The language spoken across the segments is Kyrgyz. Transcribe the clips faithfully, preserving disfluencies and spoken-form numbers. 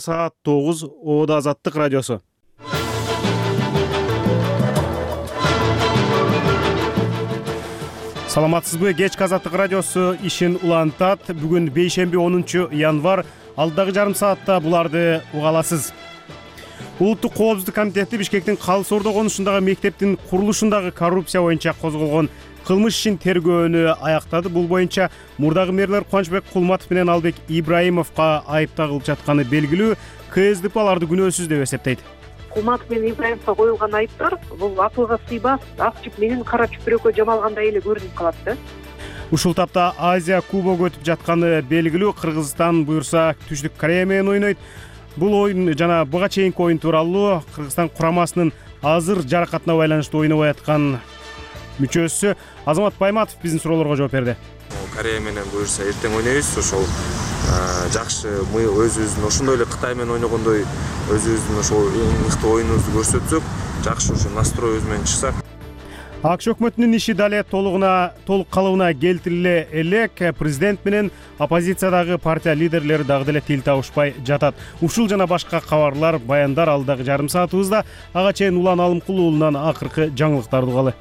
Саат тогуз Оодо Азаттык радиосу. Саламатсызбы? Кечки Азаттык радиосу ишин улантат. Бүгүн бейшемби онунчу январь. Алдагы жарым саатта буларды уга аласыз. Улуттук коопсуздук комитети Бишкектин Калыс Ордо конушундагы мектептин курулушундагы коррупция боюнча козголгон кылмыш ишин тергөөнү аяктады. Бул боюнча мурдагы мэрлер Кубанычбек Кулматов менен Албек Ибраимовго айып тагылып жатканы белгилүү. КСДП аларды күнөөсүз деп эсептейт. Кулматов менен Ибраимовго коюлган айыптар бул акылга сыйбас, ак чүп менен кара чүпүрөккө жамалгандай эле көрүнүп калат да. Ушул тапта Азия кубогу өтүп жатканы белгилүү. Кыргызстан буюрса Түштүк Корея менен ойнойт. Бул оюн жана буга чейинки оюн тууралуу Кыргызстан курамасынын азыр жаракатына байланыштуу ойнобой аткан мүчөсү Азамат Байматов биздин суроолорго жооп берди. Корея менен буюрса эртең ойнойбуз. Ошол жакшы өзүбүздүн ошондой эле Кытай менен ойногондой өзүбүздүн ошол эң мыкты оюнубузду көрсөтсөк, жакшы ошо настройубуз менен чыксак. АКШ өкмөтүнүн иши дале толугуна толук калыбына келтириле элек. Президент менен оппозициядагы партия лидерлери дагы деле тил табышпай жатат. Ушул жана башка кабарлар, баяндар алдагы жарым саатыбызда. Ага чейин Улан Алымкулуу уулунан акыркы жаңылыктарды угалы.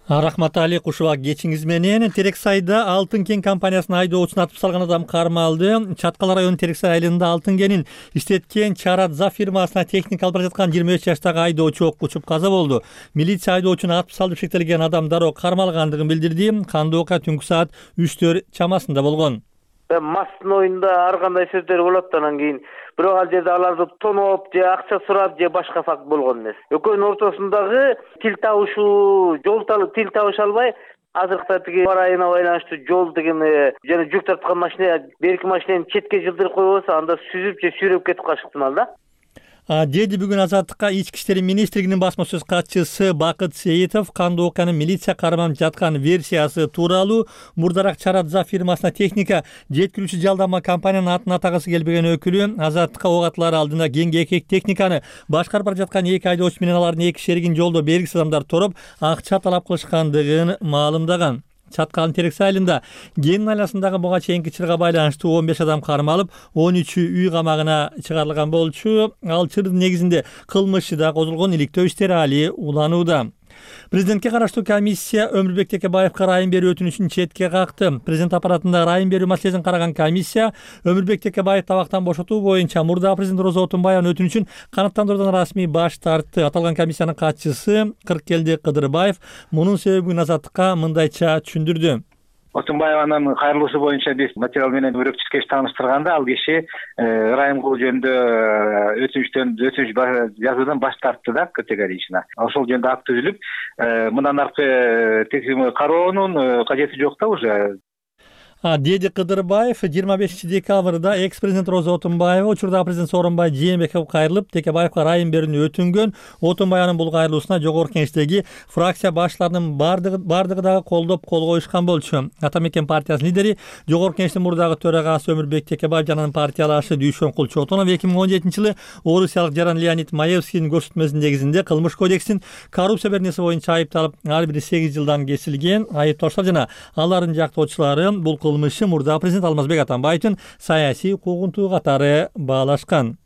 Рахмат Али, кушуба кечиңиз менен. Терексайда айда Алтын кен компаниясынын айдоочусун атып салган адам кармалды. Чаткал районунун Терексай айылында Алтын кенин иштеткен Чарадза фирмасына техника алып бара жаткан жыйырма үч жаштагы айдоочу окко учуп каза болду. Милиция айдоочуну атып салып шектелген адам дароо кармалгандыгын билдирди. Кандуу окуя түнкү саат үчтөр чамасында болгон. Мастын оюнда ар кандай сөздөр болот, анан кийин бирок ал жерде аларды тоноп же акча сурап же башка факт болгон эмес. Экөөнүн ортосундагы тил табышуу, жол тил табыша албай, азыркы тиги бар айына байланыштуу жол деген жана жүк тарткан машина берки машинаны четке жылдырып койбосо, анда сүзүп же сүйрөп кетип калышы ыктымал да. Деди бүгүн Азаттыкка Ички иштер министрлигинин басма сөз катчысы Бакыт Сейитов кандуу окуянын милиция карманып жаткан версиясы тууралуу мурдараак Чарадза фирмасына техника жеткирүүчү жалдама компаниянын атын атагысы келбеген өкүлү Азаттыкка ок атылар алдында кеңге эки техниканы башкарып бара жаткан эки айдоочу менен алардын эки шеригин жолдо белгисиз адамдар тороп акча талап кылышкандыгын маалымдаган. Чаткалдын Терексай айылында кен айласындагы буга чейинки чырга байланыштуу он беш адам кармалып, он үчү үй камагына чыгарылган болчу. Ал чырдын негизинде кылмышы да козулгон, иликтөө иштери али уланууда. Президентке караштуу комиссия Өмүрбек Текебаевга райым берүү өтүнүчүн четке какты. Президент аппаратында райым берүү маселесин караган комиссия Өмүрбек Текебаев табактан бошотуу боюнча мурдагы президент Роза Отунбаеванын өтүнүчүн канааттандыруудан расмий баш тартты. Аталган комиссиянын катчысы Кыркелди Кыдырбаев мунун себебин Азаттыкка мындайча түшүндүрдү. Отунбаеванын кайрылуусу боюнча биз материал менен өрөкчүс киши тааныштырганда ал киши райым кылуу жөнүндө өтүнүчтөн өтүнүч жазуудан баш тартты да, категорично. Ошол жөнүндө акт түзүлүп, мындан аркы текшерүү кароонун кажети жок да уже. Деди Кыдырбаев жыйырма бешинчи декабрда экс-президент Роза Отунбаева учурдагы президент Сооронбай Жээнбековго кайрылып, Текебаевга райым берүүнү өтүнгөн. Отунбаеванын бул кайрылуусуна жогорку кеңештеги фракция башчыларынын бардыгы бардыгы дагы колдоп кол коюшкан болчу. Ата мекен партиясынын лидери, жогорку кеңештин мурдагы төрагасы Өмүрбек Текебаев жана анын партиялашы Дүйшөнкул Чотонов эки миң он жетинчи жылы орусиялык жаран Леонид Маевскийдин көрсөтмөсүнүн негизинде кылмыш кодексинин коррупция беренеси боюнча айыпталып, ар бири сегиз жылдан кесилген. Айыптоочулар жана алардын жактоочулары бул кылмышты мурда президент Алмазбек Атамбаевдин саясий укугунтуу катары баалашкан.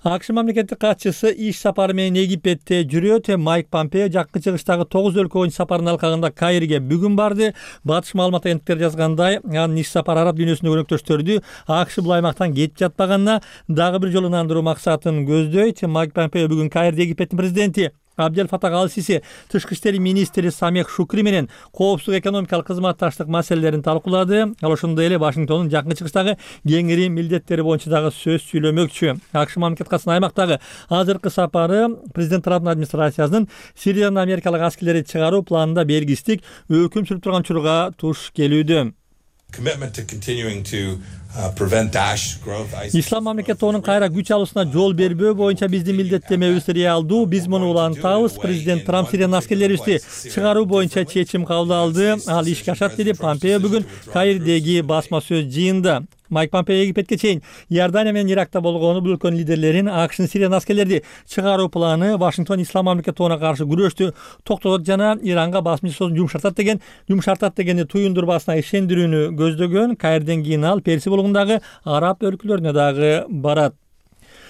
АКШ мамлекеттик катчысы иш сапары менен Египетте жүрөт. Майк Помпео жакын чыгыштагы тогуз өлкө боюнча сапарынын алкагында Каирге бүгүн барды. Батыш маалымат агенттиктери жазгандай, анын иш сапары араб дүйнөсүндөгү өнөктөштөрдү АКШ бул аймактан кетип жатпаганына дагы бир жолу ынандыруу максатын көздөйт. Майк Помпео бүгүн Каирде Египеттин президенти Абдел Фатах Ал-Сиси, тышкы иштер министри Самех Шукри менен коопсуздук экономикалык кызматташтык маселелерин талкуулады. Ал ошондой эле Вашингтондун жакын чыгыштагы кеңири милдеттери боюнча дагы сөз сүйлөмөкчү. АКШ мамлекет катчысынын аймактагы азыркы сапары президент Трамптын администрациясынын Сириядан америкалык аскерлерди чыгаруу планында белгисиздик өкүм сүрүп турган учурга туш келүүдө. Ислам мамлекет тобунун кайра күч алуусуна жол бербөө боюнча биздин милдеттемебиз реалдуу. Биз муну улантабыз. Президент Трамп Сириянын аскерлерибизди чыгаруу боюнча чечим кабыл алды. Ал ишке ашат, деди Помпео бүгүн Каирдеги басма сөз жыйында. Майк Помпео Египетке чейин Иордания менен Иракта болгону бул өлкөнүн лидерлерин АКШнын Сириядан аскерлерди чыгаруу планы Вашингтон ислам мамлекети тобуна каршы күрөштү токтотот жана Иранга басым жасоосун жумшартат деген жумшартат дегенди туюндурбасына ишендирүүнү көздөгөн. Каирден кийин ал Персия болгондагы араб өлкөлөрүнө дагы барат.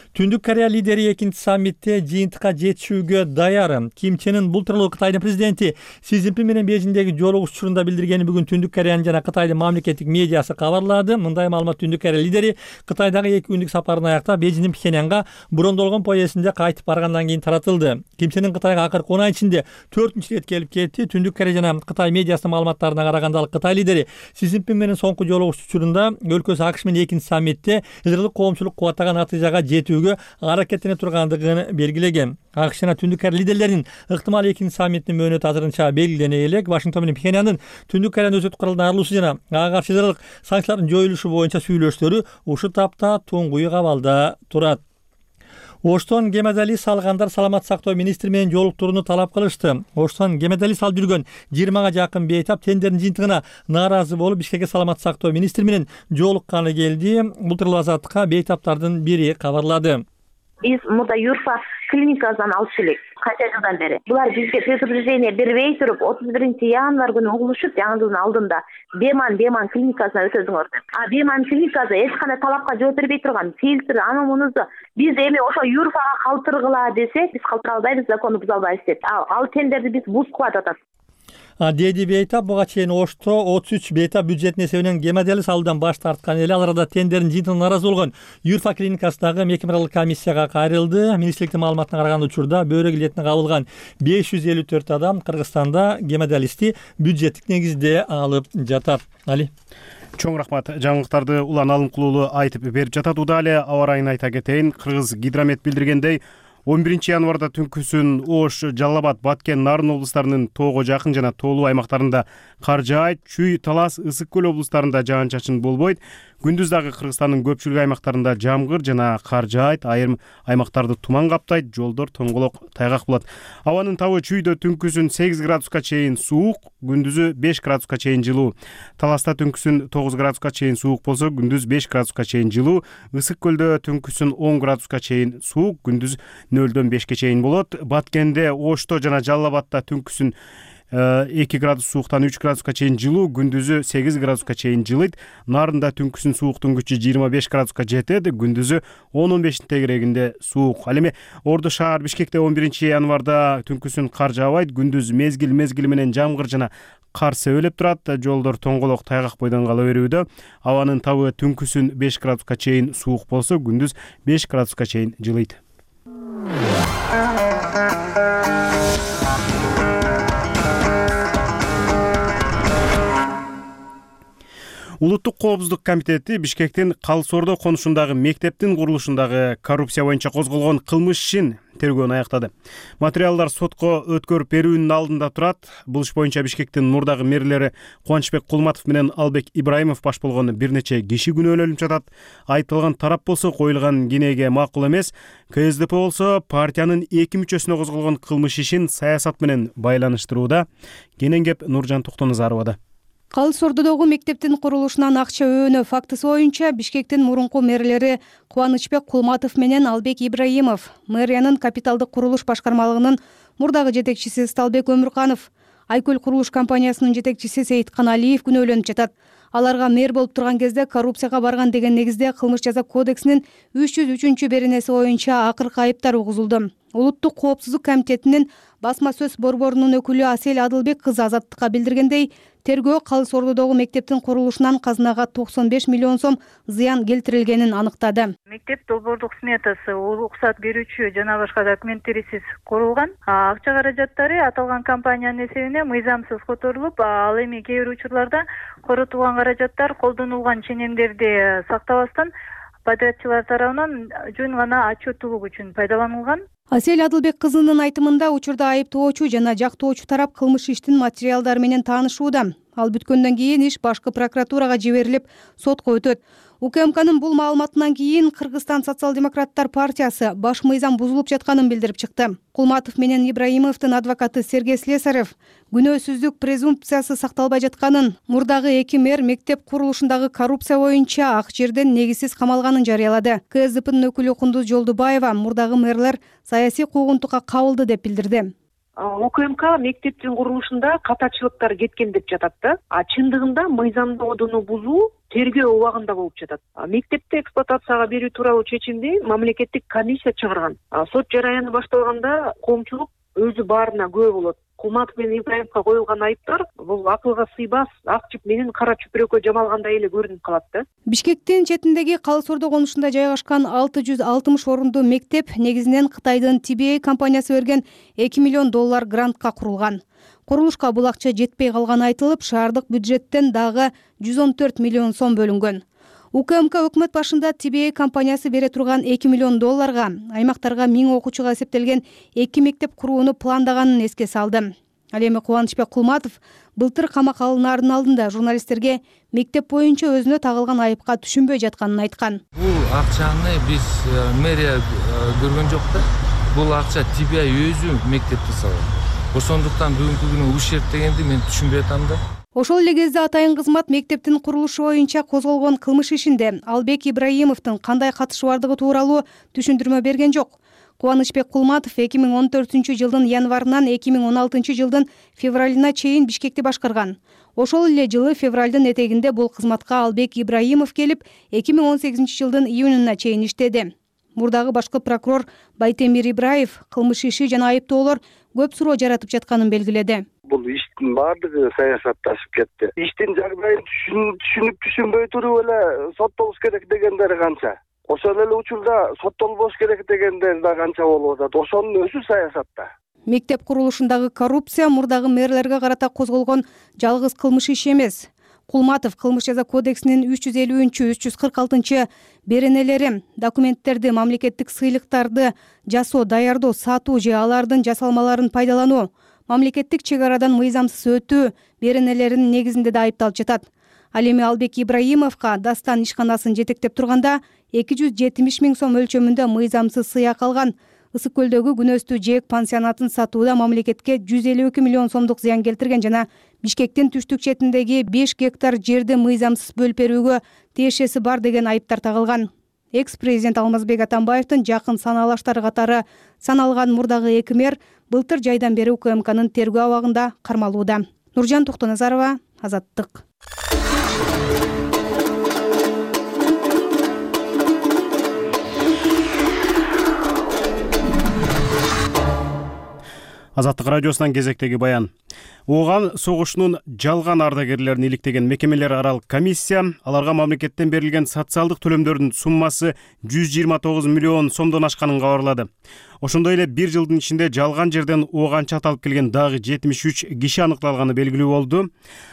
Түндүк Корея лидери экинчи саммитте жыйынтыкка жетишүүгө даяр. Ким Чен Ын бул тууралуу Кытайдын президенти Си Цзиньпин менен Бейжиңдеги жолугуш учурунда билдиргени бүгүн Түндүк Кореянын жана Кытайдын мамлекеттик медиасы кабарлады. Мындай маалымат Түндүк Корея лидери Кытайдагы эки күндүк сапарын аяктап Бейжиңдин Пхеньянга брондолгон поездинде кайтып баргандан кийин таратылды. Ким Чен Ын Кытайга акыркы он ай ичинде төртүнчү ирет келип кетти. Түндүк Корея жана Кытай медиасынын маалыматтарына караганда ал Кытай лидери Си Цзиньпин менен соңку жолугуш учурунда өлкөсү АКШ менен экинчи саммитте ылдырлык коомчулук кубаттаган натыйжага жетүүгө аракеттене тургандыгын белгилеген. АКШ жана Түндүк Корея лидерлеринин ыктымал экинчи саммиттин мөөнөтү азырынча белгилене элек. Вашингтон менен Пхеньяндын Түндүк Кореянын өкмөт куралынан арылуусу жана ага каршы жаралык санкциялардын жоюлушу боюнча сүйлөштөрү ушул тапта туңгуйук абалда турат. Оштон гемодиализ салгандар саламат сактоо министри менен жолуктурууну талап кылышты. Оштон гемодиализ алып жүргөн жыйырмага жакын бейтап тендердин жыйынтыгына нааразы болуп Бишкекке саламат сактоо министри менен жолукканы келди. Бул тууралуу Азаттыкка бейтаптардын бири кабарлады. Биз мурда Юрфа клиникасынан алып келек канча жылдан бери. Булар бизге предупреждение бербей туруп отуз биринчи январь күнү угулушуп, жаңы жылдын алдында Беман Беман клиникасына өтөзүңөр деп. А Беман клиникасы эч кандай талапка жооп бербей турган, фильтр аны мунусу биз эми ошо Юрфага калтыргыла десек, биз калтыра албайбыз, законду буза албайбыз деп. Ал тендерди биз бузуп атат. Деди бейтап буга чейин Ошто отуз үч бейтап бюджеттин эсебинен гемодиализ алуудан баш тарткан эле. Ал арада тендердин жыйынтыгына нааразы болгон Юрфа клиникасындагы мекемеаралык комиссияга кайрылды. Министрликтин маалыматына караганда учурда бөйрөк илетине кабылган беш жүз элүү төрт адам Кыргызстанда гемодиализди бюджеттик негизде алып жатат. Али. Чоң рахмат. Жаңылыктарды улан алымкулуулу айтып берип жатат. Удале аба ырайын айта кетейин. Кыргыз гидромет билдиргендей он биринчи январда түнкүсүн Ош, Жалал Абад, Баткен, Нарын облустарынын тоого жакын жана тоолуу аймактарында кар жаайт. Чүй, Талас, Ысык көл облустарында жаан-чачын болбойт. Күндүз дагы Кыргызстандын көпчүлүк аймактарында жамгыр жана кар жаайт. Айрым аймактарды туман каптайт, жолдор тоңголок, тайгак болот. Абанын табы чүйдө түнкүсүн сегиз градуска чейин суук, күндүзү беш градуска чейин жылуу. Таласта түнкүсүн тогуз градуска чейин суук болсо, күндүз беш градуска чейин жылуу. Ысык көлдө түнкүсүн он градуска чейин суук, күндүз нөлдөн бешке чейин болот. Баткенде, Ошто жана Жалал Абадта түнкүсүн эки градус сууктан үч градуска чейин жылуу, күндүзү сегиз градуска чейин жылыйт. Нарында түнкүсүн сууктун күчү жыйырма беш градуска жетет, күндүзү он он бештин тегерегинде суук. Ал эми Орду шаар Бишкекте он биринчи январда түнкүсүн кар жаабайт, күндүз мезгил мезгили менен жамгыр жана кар себелеп турат. Жолдор тоңголок, тайгак бойдон кала берүүдө. Абанын табы түнкүсүн беш градуска чейин суук болсо, күндүз беш градуска чейин жылыйт. Улуттук коопсуздук комитети Бишкектин Калсордо конушундагы мектептин курулушундагы коррупция боюнча козголгон кылмыш ишин тергөөнү аяктады. Материалдар сотко өткөрүп берүүнүн алдында турат. Бул иш боюнча Бишкектин мурдагы мэрлери Кубанычбек Кулматов менен Албек Ибраимов баш болгон бир нече киши күнөөлөнүп жатат. Айтылган тарап болсо коюлган кинеге макул эмес. Ка Эс Д П болсо партиянын эки мүчөсүнө козголгон кылмыш ишин саясат менен байланыштырууда. Кенен кеп Нуржан Токтоназаровада. Калсордодогу мектептин курулушунан акча өөнөө фактысы боюнча Бишкектин мурунку мэрлери Кубанычбек Кулматов менен Албек Ибраимов, мэриянын капиталдык курулуш башкармалыгынын мурдагы жетекчиси Сталбек Өмүрканов, Айкөл курулуш компаниясынын жетекчиси Сейиткан Алиев күнөөлөнүп жатат. Аларга мэр болуп турган кезде коррупцияга барган деген негизде кылмыш жаза кодексинин үч жүз үчүнчү беренеси боюнча акыркы айыптар угузулду. Улуттук коопсуздук комитетинин басма сөз борборунун өкүлү Асель Адылбек кызы Азаттыкка билдиргендей, тергөө Калсордодогу мектептин курулушунан казынага токсон беш миллион сом зыян келтирилгенин аныктады. Мектеп долбоордук сметасы уруксат берүүчү жана башка документтерисиз курулган. Акча каражаттары аталган компаниянын эсебине мыйзамсыз которулуп, ал эми кээ бир учурларда коротулган каражаттар колдонулган ченемдерди сактабастан подрядчылар тарабынан жөн гана отчеттуулук үчүн пайдаланылган. Асель Адылбек кызынын айтымында учурда айыптоочу жана жактоочу тарап кылмыш иштин материалдары менен таанышууда. Ал бүткөндөн кийин иш башкы прокуратурага жиберилип, сотко өтөт. УКМКнын бул маалыматынан кийин Кыргызстан социал-демократтар партиясы баш мыйзам бузулуп жатканын билдирип чыкты. Кулматов менен Ибраимовдун адвокаты Сергей Слесарев күнөөсүздүк презумпциясы сакталбай жатканын, мурдагы эки мэр мектеп курулушундагы коррупция боюнча ак жерден негизсиз камалганын жарыялады. КСДПнын өкүлү Кундуз Жолдубаева мурдагы мэрлер саясий куугунтукка кабылды деп билдирди. УКМК мектептин курулушунда катачылыктар кеткен деп жатат да. А чындыгында мыйзамдоону бузуу тергөө убагында болуп жатат. Мектепти эксплуатацияга берүү тууралуу чечимди мамлекеттик комиссия чыгарган. Сот жараяны башталганда коомчулук өзү баарына күбө болот. Кулматов менен Ибраимовго коюлган айыптар бул акылга сыйбас, ак чүп менен кара чүпүрөккө жамалгандай эле көрүнүп калат да. Бишкектин четиндеги Калы Сордо конушунда жайгашкан алты жүз алтымыш орундуу мектеп негизинен Кытайдын Ти Би Эй компаниясы берген эки миллион доллар грантка курулган. Курулушка бул акча жетпей калганы айтылып, шаардык бюджеттен дагы жүз он төрт миллион сом бөлүнгөн. УКМК өкмөт башында Ти Би Эй компаниясы бере турган эки миллион долларга аймактарга миң окуучуга эсептелген эки мектеп курууну пландаганын эске салды. Ал эми Кубанычбек Кулматов былтыр камакка алынаардын алдында журналисттерге мектеп боюнча өзүнө тагылган айыпка түшүнбөй жатканын айткан. Бул акчаны биз мэрия көргөн жок да. Бул акча Ти Би Эй өзү мектепти салат. Ошондуктан бүгүнкү күнү ушерп дегенди мен түшүнбөй атам да. Ошол эле кезде атайын кызмат мектептин курулушу боюнча козголгон кылмыш ишинде Албек Ибраимовдун кандай катышы бардыгы тууралуу түшүндүрмө берген жок. Кубанычбек Кулматов эки миң он төртүнчү жылдын январынан эки миң он алтынчы жылдын февралына чейин Бишкекти башкарган. Ошол эле жылы февралдын этегинде бул кызматка Албек Ибраимов келип, эки миң он сегизинчи жылдын июнуна чейин иштеди. Мурдагы башкы прокурор Байтемир Ибраев кылмыш иши жана айыптоолор көп суроо жаратып жатканын белгиледи. Бул иштин баардыгы саясатташып кетти. Иштин жагдайын түшүнүп түшүнбөй туруп эле соттолуш керек дегендер канча. Ошол эле учурда соттолбош керек дегендер да канча болуп атат. Ошонун өзү саясатта. Мектеп курулушундагы коррупция мурдагы мэрлерге карата козголгон жалгыз кылмыш иши эмес. Кулматов кылмыш жаза кодексинин үч жүз элүүнчү үч жүз кырк алтынчы беренелери, документтерди, мамлекеттик сыйлыктарды жасоо, даярдоо, сатуу же алардын жасалмаларын пайдалануу, мамлекеттик чек арадан мыйзамсыз өтүү беренелеринин негизинде да айыпталып жатат. Ал эми Албек Ибраимовго Дастан ишканасын жетектеп турганда эки жүз жетимиш миң сом өлчөмүндө мыйзамсыз сыйак алган. Ысык көлдөгү күнөстүү жээк пансионатын сатууда мамлекетке жүз элүү эки миллион сомдук зыян келтирген жана Бишкектин түштүк четиндеги беш гектар жерди мыйзамсыз бөлүп берүүгө тиешеси бар деген айыптар тагылган. Экс-президент Алмазбек Атамбаевдин жакын санаалаштары катары саналган мурдагы эки мэр былтыр жайдан бери УКМКнын тергөө абагында кармалууда. Нуржан Токтоназарова, Азаттык. Азаттык радиосунан кезектеги баян. Ооган согушунун жалган ардагерлерин иликтеген мекемелер аралык комиссия аларга мамлекеттен берилген социалдык төлөмдөрдүн суммасы жүз жыйырма тогуз миллион сомдон ашканын кабарлады. Ошондой эле бир жылдын ичинде жалган жерден ооганчы аталып келген дагы жетимиш үч киши аныкталганы белгилүү болду.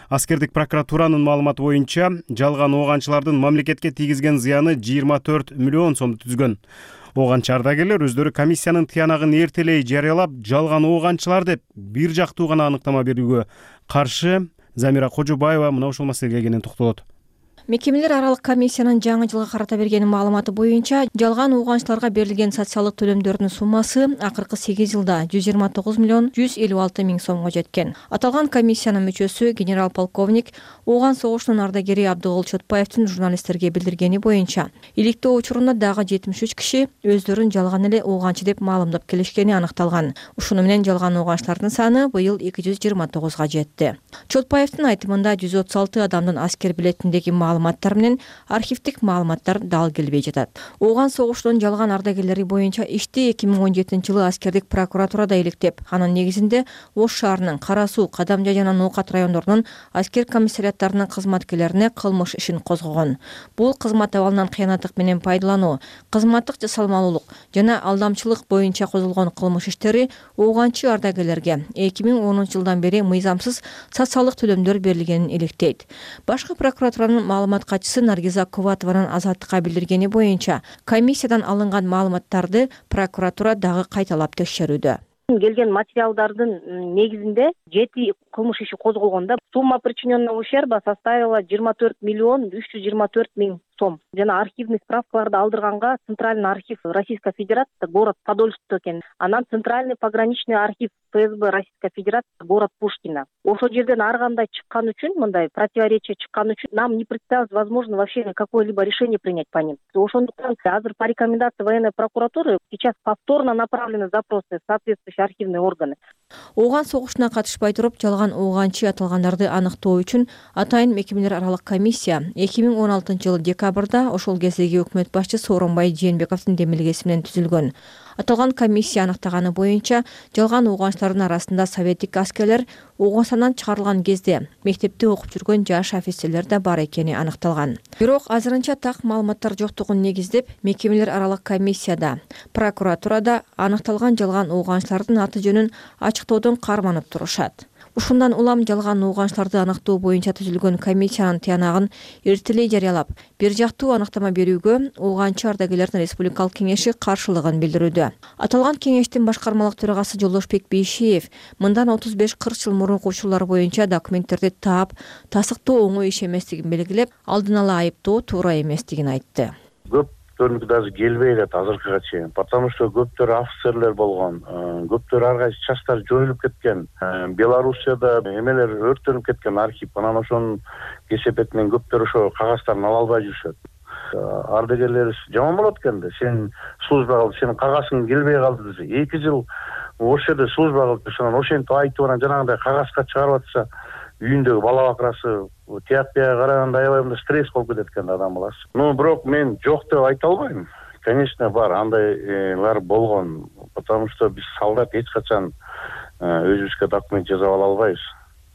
Аскердик прокуратуранын маалыматы боюнча жалган ооганчылардын мамлекетке тийгизген зыяны жыйырма төрт миллион сомду түзгөн. Ооганчы ардагерлер өздөрү комиссиянын тыянагын эртелей жарыялап, жалган ооганчылар деп бир жактуу гана аныктама берүүгө каршы. Замира Кожобаева мына ушул маселеге кенен токтолот. Мекемелер аралык комиссиянын жаңы жылга карата берген маалыматы боюнча жалган ооганчыларга берилген социалдык төлөмдөрдүн суммасы акыркы сегиз жылда жүз жыйырма тогуз миллион жүз элүү алты миң сомго жеткен. Аталган комиссиянын мүчөсү генерал-полковник Ооган согушунун ардагери Абдыгул Чотпаевдин журналисттерге билдиргени боюнча иликтөө учурунда дагы жетимиш үч киши өздөрүн жалган эле ооганчы деп маалымдап келишкени аныкталган. Ушуну менен жалган ооганчылардын саны быйыл эки жүз жыйырма тогузга жетти. Чотпаевдин айтымында жүз отуз алты адамдын аскер билетиндеги маалыматтар менен архивдик маалыматтар дал келбей жатат. Ооган согушунун жалган ардагерлери боюнча ишти эки миң он жетинчи жылы аскердик прокуратурада иликтеп, анын негизинде Ош шаарынын Кара Суу, Кадамжай жана Ноокат райондорунун аскер комиссариаттарынын кызматкерлерине кылмыш ишин козгогон. Бул кызмат абалынан кыянаттык менен пайдалануу, кызматтык жасалмалуулук жана алдамчылык боюнча козголгон кылмыш иштери ооганчы ардагерлерге эки миң онунчу жылдан бери мыйзамсыз социалдык төлөмдөр берилгенин иликтейт. Башкы прокуратуранын маалымат катчысы Наргиза Кубатованын Азаттыкка билдиргени боюнча, комиссиядан алынган маалыматтарды прокуратура дагы кайталап текшерүүдө. Келген материалдардын негизинде жети кылмыш иши козголгон да. Сумма причиненного ущерба составила жыйырма төрт миллион үч жүз жыйырма төрт миң сом. Жана архивный справкаларды алдырганга Центральный архив Российской Федерации город Подольск экен. Анан Центральный пограничный архив ФСБ Российской Федерации город Пушкино. Ошол жерден ар кандай чыккан үчүн, мындай противоречие чыккан үчүн нам не представилось возможно вообще какое-либо решение принять по ним. Ошондуктан азыр по рекомендации военной прокуратуры сейчас повторно направлены запросы в соответствующие архивные органы. Ооган согушуна катышпай туруп жалган ооганчы аталгандарды аныктоо үчүн атайын мекемелер аралык комиссия эки миң он алтынчы жылы декабрда ошол кездеги өкмөт башчысы Сооронбай Жээнбековдун демилгеси менен түзүлгөн. Аталган комиссия аныктаганы боюнча жалган ооганчылардын арасында советтик аскерлер Ооганстандан чыгарылган кезде мектепте окуп жүргөн жаш офицерлер да бар экени аныкталган. Бирок азырынча так маалыматтар жоктугун негиздеп, мекемелер аралык комиссияда, прокуратурада аныкталган жалган ооганчылардын аты жөнүн ачыктоодон карманып турушат. Ушундан улам жалган ооганчыларды аныктоо боюнча түзүлгөн комиссиянын тыянагын эртелей жарыялап, бир жактуу аныктама берүүгө ооганчы ардагерлердин республикалык кеңеши каршылыгын билдирүүдө. Аталган кеңештин башкармалык төрагасы Жолдошбек Бейшиев мындан отуз беш кырк жыл мурунку учурлар боюнча документтерди таап, тасыктоо оңой иш эместигин белгилеп, алдын ала айыптоо туура эместигин айтты. Көптөрүнүкү даже келбей элет азыркыга чейин, потому что көптөр офицерлер болгон, көптөр ар кайсы частар жоюлуп кеткен. Белоруссияда эмелер өрттөнүп кеткен архив, анан ошонун кесепетинен көптөр ошо кагаздарын ала албай жүрүшөт. Ардагерлерибиз жаман болот экен да, сен служба кылып, сенин кагазың келбей калды десе, эки жыл ошол жерде служба кылып, ошондон ошентип айтып анан жанагындай кагазга чыгарып атса, үйүндөгү бала бакырасы тияк бияга караганда аябай мындай стресс болуп кетет экен адам баласы. Ну, бирок мен жок деп айта албайм. Конечно, бар, андайлар болгон, потому что биз солдат эч качан өзүбүзгө документ жасап ала албайбыз.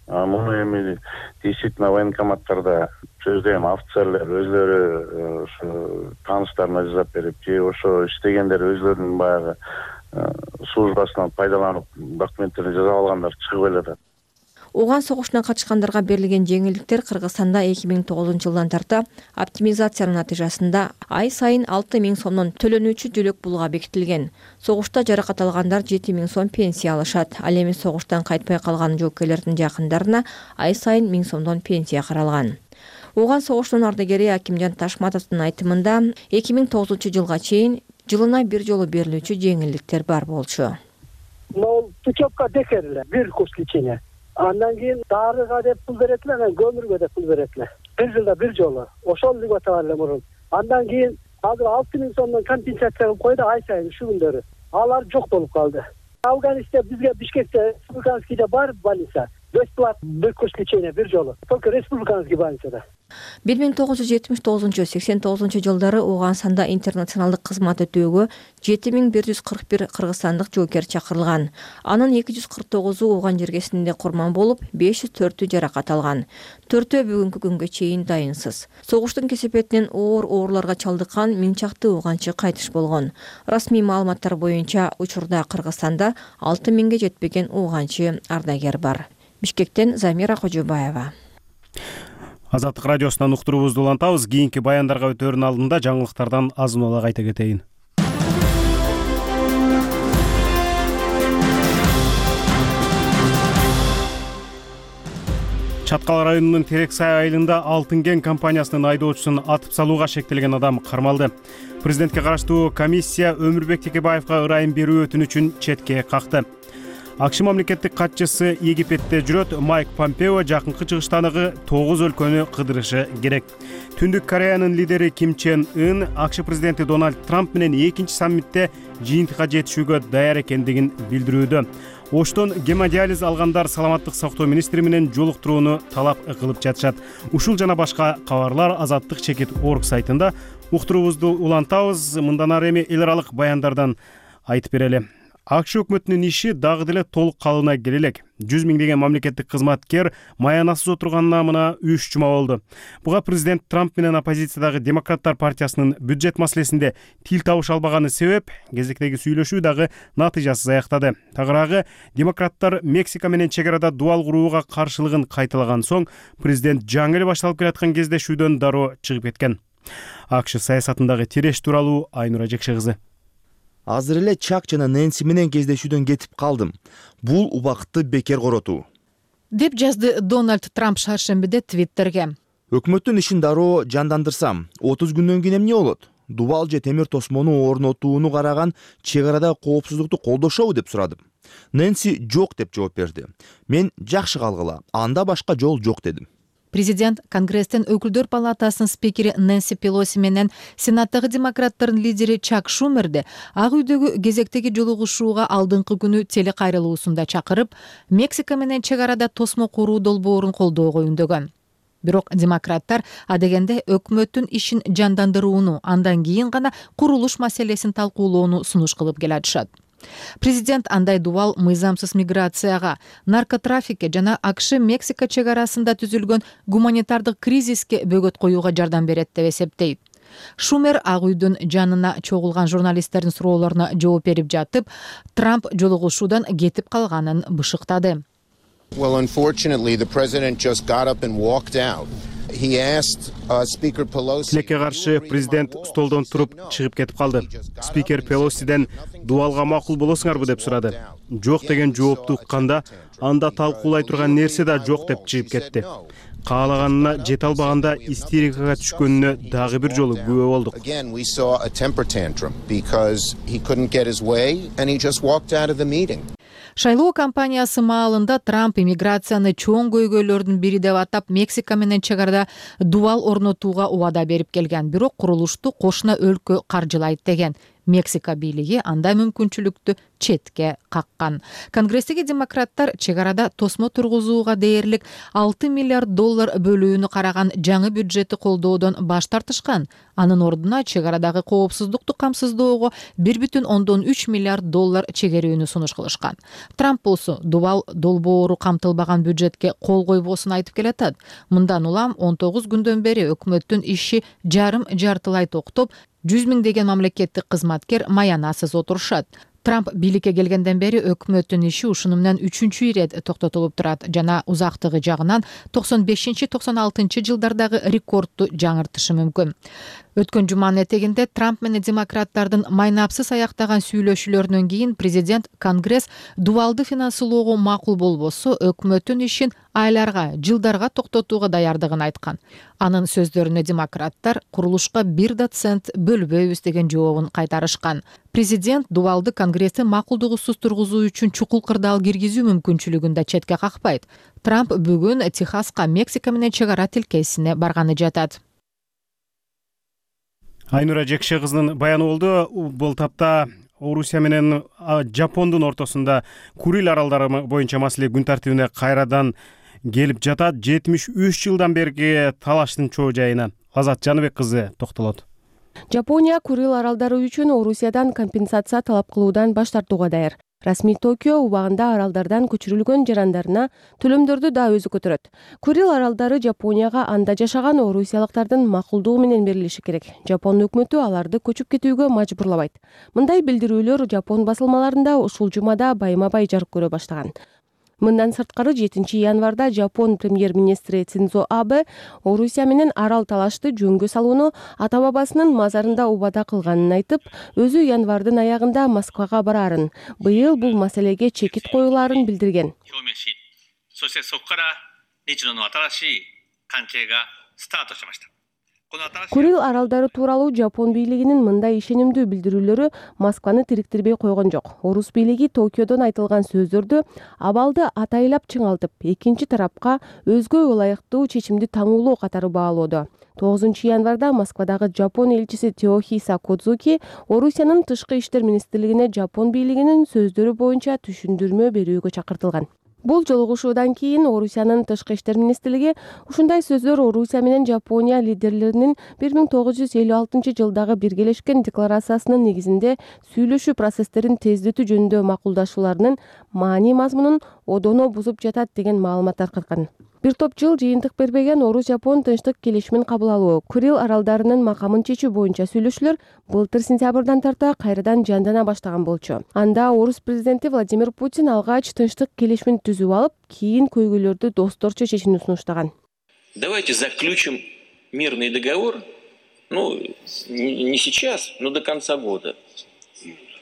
Муну эми действительно военкоматтарда сөздөйм офицерлер өзлөрү ошо тааныштарына жасап берип, же ошо иштегендер өзлөрүнүн баягы службасынан пайдаланып документтерин жасап алгандар чыгып эле. Ооган согушуна катышкандарга берилген жеңилдиктер Кыргызстанда эки миң тогузунчу жылдан тарта оптимизациянын натыйжасында ай сайын алты миң сомдон төлөнүүчү жөлөк пулга бекитилген. Согушта жаракат алгандар жети миң сом пенсия алышат. Ал эми согуштан кайтпай калган жоокерлердин жакындарына ай сайын миң сомдон пенсия каралган. Ооган согушунун ардагери Акимжан Ташматовдун айтымында эки миң тогузунчу жылга чейин жылына бир жолу берилүүчү жеңилдиктер бар болчу. Но путевка декерле, бир курс лечения. Андан кийин дарыга деп пул берет эле, анан көмүргө деп пул берет эле. Бир жылда бир жолу. Ошол деп атаган эле мурун. Андан кийин азыр алты миң сомдон компенсация кылып койду ай сайын ушу күндөрү. Алар жок болуп калды. Афганистан бизге Бишкекте республиканскийде бар больница. Бесплатно бир курс лечения бир жолу. Только республиканский больницада. бир миң тогуз жүз жетимиш тогузунчу сексен тогузунчу жылдары Ооганстанда интернационалдык кызмат өтөөгө жети миң бир жүз кырк бир кыргызстандык жоокер чакырылган. Анын эки жүз кырк тогузу Ооган жергесинде курман болуп, беш жүз төртү жаракат алган. Төртөө бүгүнкү күнгө чейин дайынсыз. Согуштун кесепетинен оор ооруларга чалдыккан миң чакты ооганчы кайтыш болгон. Расмий маалыматтар боюнча учурда Кыргызстанда алты миңге жетпеген ооганчы ардагер бар. Бишкектен Замира Кожобаева. Азаттык радиосунан уктуруубузду улантабыз. Кийинки баяндарга өтөөрүн алдында жаңылыктардан азын ала кайта кетейин. Чаткал районунун Терексай айылында Алтын кен компаниясынын айдоочусун атып салууга шектелген адам кармалды. Президентке караштуу комиссия Өмүрбек Текебаевга ырайым берүү өтүнүчүн четке какты. АКШ мамлекеттик катчысы Египетте жүрөт. Майк Помпео жакынкы чыгыштагы тогуз өлкөнү кыдырышы керек. Түндүк Кореянын лидери Ким Чен Ын АКШ президенти Дональд Трамп менен экинчи саммитте жыйынтыкка жетишүүгө даяр экендигин билдирүүдө. Оштон гемодиализ алгандар саламаттык сактоо министри менен жолуктурууну талап кылып жатышат. Ушул жана башка кабарлар Азаттык чекит орг сайтында. Уктуруубузду улантабыз. Мындан ары эми эл аралык баяндардан айтып берели. АКШ өкмөтүнүн иши дагы деле толук калыбына келе элек. жүз миңдеген мамлекеттик кызматкер маянасыз отурганына мына үч жума болду. Буга президент Трамп менен оппозициядагы Демократтар партиясынын бюджет маселесинде тил табыша албаганы себеп. Кезектеги сүйлөшүү дагы натыйжасыз аяктады. Тагыраагы демократтар Мексика менен чек арада дуал курууга каршылыгын кайталаган соң президент жаңы эле башталып келаткан кездешүүдөн дароо чыгып кеткен. АКШ саясатындагы тереш тууралуу Айнура Жекше кызы. Азыр эле Чак жана Нэнси менен кездешүүдөн кетип калдым. Бул убакытты бекер коротуу. деп жазды Дональд Трамп шаршембиде Твиттерге. Өкмөттүн ишин дароо жандандырсам, отуз күндөн кийин эмне болот? Дубал же темир тосмону орнотууну караган чек арада коопсуздукту колдошобу деп сурадым. Нэнси жок деп жооп берди. Мен жакшы калгыла, анда башка жол жок дедим. Президент Конгресстин өкүлдөр палатасынын спикери Нэнси Пелоси менен Сенаттагы демократтардын лидери Чак Шумерди Ак үйдөгү кезектеги жолугушууга алдыңкы күнү телекайрылуусунда чакырып, Мексика менен чек арада тосмо куруу долбоорун колдоого үндөгөн. Бирок демократтар адегенде өкмөттүн ишин жандандырууну, андан кийин гана курулуш маселесин талкуулоону сунуш кылып келатышат. Президент андай дубал мыйзамсыз миграцияга, наркотрафикке жана АКШ Мексика чек арасында түзүлгөн гуманитардык кризиске бөгөт коюуга жардам берет деп эсептейт. Шумер Ак үйдүн жанына чогулган журналисттердин суроолоруна жооп берип жатып, Трамп жолугушуудан кетип калганын бышыктады. Well, unfortunately, the president just got up and walked out. He asked uh, Speaker Pelosi. Тилекке каршы президент столдон туруп чыгып кетип калды. Спикер Пелосиден дубалга макул болосуңарбы деп сурады. Жок деген жоопту укканда, анда талкуулай турган нерсе да жок деп чыгып кетти. Каалаганына жете албаганда истерикага түшкөнүнө дагы бир жолу күбө болдук. Again, we saw a temper tantrum because he couldn't get his way and he just walked out of the meeting. Шайлоо кампаниясы маалында Трамп иммиграцияны чоң көйгөйлөрдүн бири деп атап, Мексика менен чек арада дубал орнотууга убада берип келген. Бирок курулушту кошуна өлкө каржылайт деген. Мексика бийлиги анда мүмкүнчүлүктү четке каккан. Конгресстеги демократтар чек арада тосмо тургузууга дээрлик алты миллиард доллар бөлүүнү караган жаңы бюджетти колдоодон баш тартышкан. Анын ордуна чек арадагы коопсуздукту камсыздоого бир бүтүн ондон үч миллиард доллар чегерүүнү сунуш кылышкан. Трамп болсо дубал долбоору камтылбаган бюджетке кол койбосун айтып келатат. Мындан улам он тогуз күндөн бери өкмөттүн иши жарым жартылай токтоп, жүз миңдеген мамлекеттик кызматкер маянасыз отурушат. Трамп бийликке келгенден бери өкмөттүн иши ушуну менен үчүнчү ирет токтотулуп турат жана узактыгы жагынан токсон бешинчи токсон алтынчы жылдардагы рекордту жаңыртышы мүмкүн. Өткөн жуманын этегинде Трамп менен демократтардын майнапсыз аяктаган сүйлөшүүлөрүнөн кийин президент Конгресс дубалды финансылоого макул болбосо өкмөттүн ишин айларга, жылдарга токтотууга даярдыгын айткан. Анын сөздөрүнө демократтар курулушка бир да цент бөлбөйбүз деген жообун кайтарышкан. Президент дубалды Конгресстин макулдугусуз тургузуу үчүн чукул кырдаал киргизүү мүмкүнчүлүгүн да четке какпайт. Трамп бүгүн Техаска Мексика менен чек ара тилкесине барганы жатат. Айнура Жекше кызынын баяны болду. Бул тапта Орусия менен Жапондун ортосунда Курил аралдары боюнча маселе күн тартибине кайрадан келип жатат. жетимиш үч жылдан берги талаштын чоо жайына Азат Жаныбек кызы токтолот. Жапония Курил аралдары үчүн Орусиядан компенсация талап кылуудан баш тартууга даяр. Расмий Токио убагында аралдардан көчүрүлгөн жарандарына төлөмдөрдү да өзү көтөрөт. Курил аралдары Жапонияга анда жашаган орусиялыктардын макулдугу менен берилиши керек. Жапон өкмөтү аларды көчүп кетүүгө мажбурлабайт. Мындай билдирүүлөр Жапон басылмаларында ушул жумада байма-бай жарык көрө баштаган. Мындан сырткары жетинчи январда Жапон премьер-министри Синдзо Абе Орусия менен арал талашты жөнгө салууну ата-бабасынын мазарында убада кылганын айтып, өзү январдын аягында Москвага барарын, быйыл бул маселеге чекит коюлаарын билдирген. Курил аралдары тууралуу Жапон бийлигинин мындай ишенимдүү билдирүүлөрү Москваны тириктирбей койгон жок. Орус бийлиги Токиодон айтылган сөздөрдү абалды атайлап чыңалтып, экинчи тарапка өзгө ылайыктуу чечимди таңуулоо катары баалоодо. тогузунчу январда Москвадагы Жапон элчиси Теохиса Кодзуки Орусиянын тышкы иштер министрлигине Жапон бийлигинин сөздөрү боюнча түшүндүрмө берүүгө чакыртылган. Бул жолугушуудан кийин Орусиянын тышкы иштер министрлиги ушундай сөздөр Орусия менен Жапония лидерлеринин бир миң тогуз жүз элүү алтынчы жылдагы биргелешкен декларациясынын негизинде сүйлөшүү процесстерин тездетүү жөнүндө макулдашууларынын маани мазмунун одоно бузуп жатат деген маалымат таркаткан. Бир топ жыл жыйынтык бербеген Орус-Жапон тынчтык келишимин кабыл алуу, Курил аралдарынын макамын чечүү боюнча сүйлөшүүлөр былтыр сентябрдан тарта кайрадан жандана баштаган болчу. Анда Орус президенти Владимир Путин алгач тынчтык келишимин түзүп алып, кийин көйгөйлөрдү досторчо чечүүнү сунуштаган. Давайте заключим мирный договор, ну, не сейчас, но до конца года,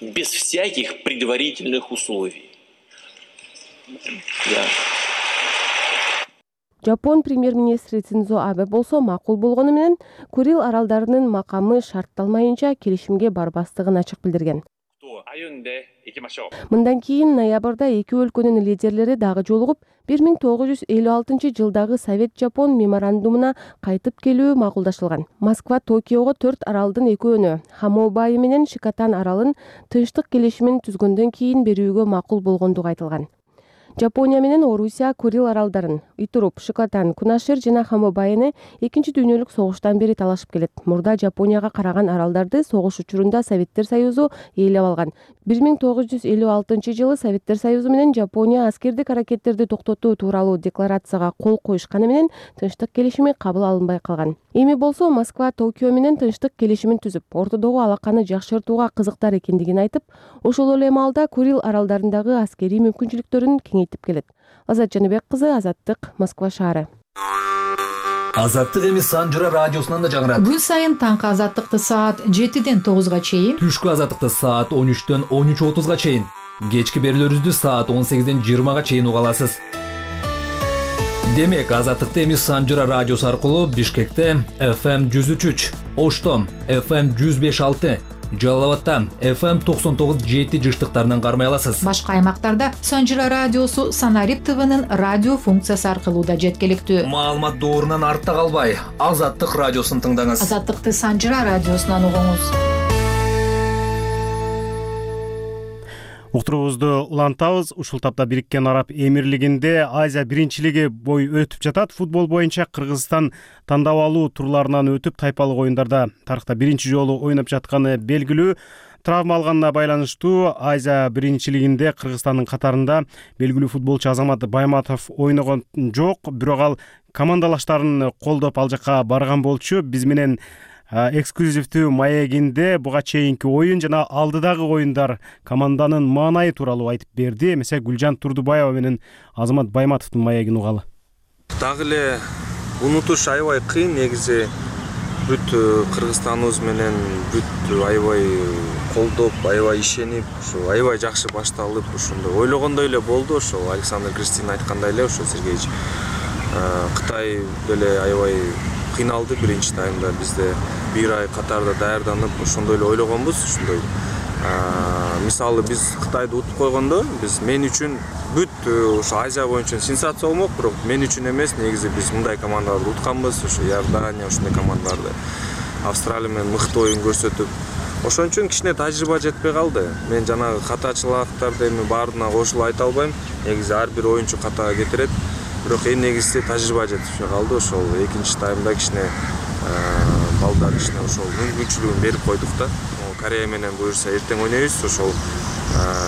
без всяких предварительных условий. Да. Жапон премьер-министри Синдзо Абе болсо макул болгону менен Курил аралдарынын макамы шартталмайынча келишимге барбастыгын ачык билдирген. Мындан кийин ноябрда эки өлкөнүн лидерлери дагы жолугуп, бир миң тогуз жүз элүү алтынчы жылдагы Совет-Жапон меморандумуна кайтып келүү макулдашылган. Москва Токиого төрт аралдын экөөнү, Хамобаи менен Шикотан аралын тынчтык келишимин түзгөндөн кийин берүүгө макул болгондугу айтылган. Жапония менен Орусия Курил аралдарын Итуруп, Шикотан, Кунашир жана Хамобайны экинчи дүйнөлүк согуштан бери талашып келет. Мурда Жапонияга караган аралдарды согуш учурунда Советтер Союзу ээлеп алган. бир миң тогуз жүз элүү алтынчы жылы Советтер Союзу менен Жапония аскердик аракеттерди токтотуу тууралуу декларацияга кол коюшканы менен тынчтык келишими кабыл алынбай калган. Эми болсо Москва Токио менен тынчтык келишимин түзүп, ортодогу алаканы жакшыртууга кызыктар экендигин айтып, ошол эле маалда Курил аралдарындагы аскерий мүмкүнчүлүктөрүн кеңейтип келет. Азат Жаныбек кызы, Азаттык, Москва шаары. Азаттык эми Санжыра радиосунан да жаңырат. Күн сайын таңкы азаттыкты саат жетиден тогузга чейин, түшкү азаттыкты саат он үчтөн он үч отузга чейин, кечки берүүлөрүбүздү саат он сегизден жыйырмага чейин уга аласыз. Демек, азаттыкты эми Санжыра радиосу аркылуу Бишкекте эф эм жүз үч үч, Ошто эф эм жүз беш алты, Жалал Абадта эф эм токсон тогуз жети жыштыктарынан кармай аласыз. Башка аймактарда Санжыра радиосу Санарип ТВнын радио функциясы аркылуу да жеткиликтүү. Маалымат доорунан артта калбай, Азаттык радиосун тыңдаңыз. Азаттыкты Санжыра радиосунан угуңуз. Уктуруубузду улантабыз. Ушул тапта Бириккен Араб Эмирлигинде Азия биринчилиги бой өтүп жатат. Футбол боюнча Кыргызстан тандап алуу турларынан өтүп, тайпалык оюндарда тарыхта биринчи жолу ойноп жатканы белгилүү. Травма алганына байланыштуу Азия биринчилигинде Кыргызстандын катарында белгилүү футболчу Азамат Байматов ойногон жок, бирок ал командалаштарын колдоп ал жакка барган болчу. Биз менен эксклюзивдүү маегинде буга чейинки оюн жана алдыдагы оюндар команданын маанайы тууралуу айтып берди. Эмесе Гүлжан Турдубаева менен Азамат Байматовдун маегин угалы. Дагы эле унутуш аябай кыйын. Негизи бүт Кыргызстаныбыз менен бүт аябай колдоп, аябай ишенип, ушу аябай жакшы башталып, ушундай ойлогондой эле болду. Ошол Александр Кристин айткандай эле, ошо Сергеевич Кытай деле аябай кыйналды биринчи таймда. Бизде бир ай катарда даярданып, ошондой эле ойлогонбуз. Ушундай мисалы биз Кытайды утуп койгондо, биз мен үчүн бүт ошо Азия боюнча сенсация болмок, бирок мен үчүн эмес. Негизи биз мындай командаларды утканбыз, ошо Иордания, ошондой командаларды. Австралия менен мыкты оюн көрсөтүп, ошон үчүн кичине тажрыйба жетпей калды. Мен жанагы катачылыктарды эми баарына кошулуп айта албайм. Негизи ар бир оюнчу ката кетирет. Бирок эң негизгиси тажрыйба жетишпей калды. Ошол экинчи таймда кичине балдар кичине ошол мүмкүнчүлүгүн берип койдук да. Корея менен буюрса эртең ойнойбуз. Ошол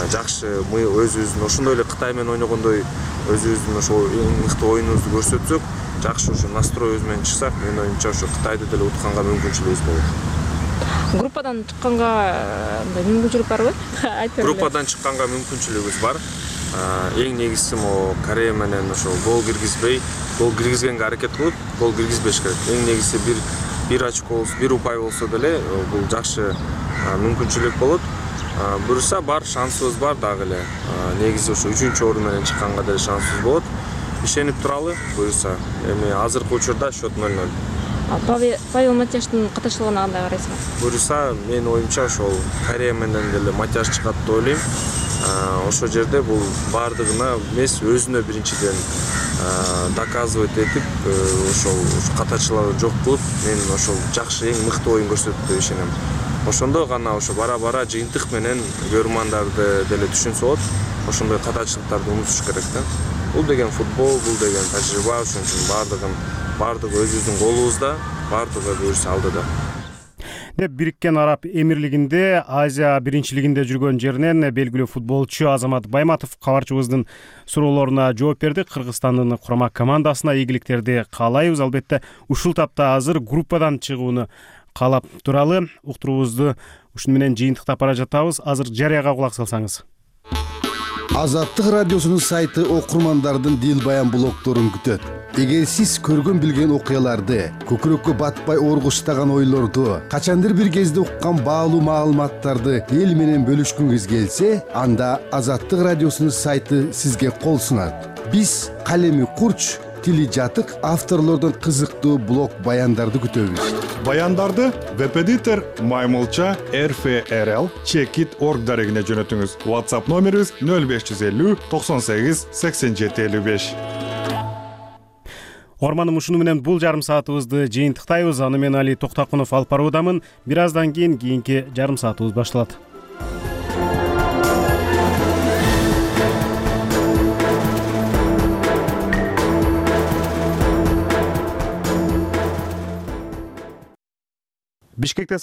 жакшы мы өзүбүздүн ошондой эле Кытай менен ойногондой өзүбүздүн ошол эң мыкты оюнубузду көрсөтсөк, жакшы ошо настройубуз менен чыксак, менин оюмча ошо Кытайды деле утканга мүмкүнчүлүгүбүз болот. Группадан чыкканга мындай мүмкүнчүлүк барбы? Группадан чыкканга мүмкүнчүлүгүбүз бар. Эң негизгиси могу Корея менен ошол гол киргизбей, гол киргизгенге аракет кылып, гол киргизбеш керек. Эң негизгиси бир бир очко болсо, бир упай болсо деле бул жакшы мүмкүнчүлүк болот. Буюрса бар, шансыбыз бар дагы эле. Негизи ошо үчүнчү орун менен чыкканга деле шансыбыз болот. Ишенип туралы, буюрса. Эми азыркы учурда счет ноль ноль. Павел Матяштын катышылыгына кандай карайсыңыз? Буюрса, менин оюмча ошол Корея менен деле Матяш чыгат деп ойлойм. Ошол жерде бул баардыгына эмес, өзүнө биринчиден доказывать этип, ошол катачыларды жок кылып, мен ошол жакшы эң мыкты оюн көрсөтөт деп ишенем. Ошондо гана ошо бара-бара жыйынтык менен көрөрмандарды деле түшүнсө болот. Ошондой катачылыктарды унутуш керек да. Бул деген футбол, бул деген тажрыйба, ошон үчүн баардыгын баардыгы өзүбүздүн колубузда, баардыгы буюрса алдыда. Деп Бириккен Араб Эмирлигинде Азия биринчилигинде жүргөн жеринен белгилүү футболчу Азамат Байматов кабарчыбыздын суроолоруна жооп берди. Кыргызстандын курама командасына ийгиликтерди каалайбыз. Албетте ушул тапта азыр группадан чыгууну каалап туралы. Уктуруубузду ушуну менен жыйынтыктап бара жатабыз. Азыр жарыяга кулак салсаңыз. Азаттык радиосунун сайты окурмандардын дил баян блогторун күтөт. Эгер сиз көргөн билген окуяларды, көкүрөккө батпай оргуштаган ойлорду, качандыр бир кезде уккан баалуу маалыматтарды эл менен бөлүшкүңүз келсе, анда Азаттык радиосунун сайты сизге кол сунат. Биз калеми курч, тили жатык авторлордон кызыктуу блог баяндарды күтөбүз. Баяндарды веб-эдитор маймылча рф рл чекит орг дарегине жөнөтүңүз. WhatsApp номерибиз нөл беш жүз элүү токсон сегиз сексен жети элүү беш. Орманым, ушуну менен бул жарым саатыбызды жыйынтыктайбыз. Аны мен Али Токтакунов алып баруудамын. Бир аздан кийин кийинки жарым саатыбыз башталат. Бишкекте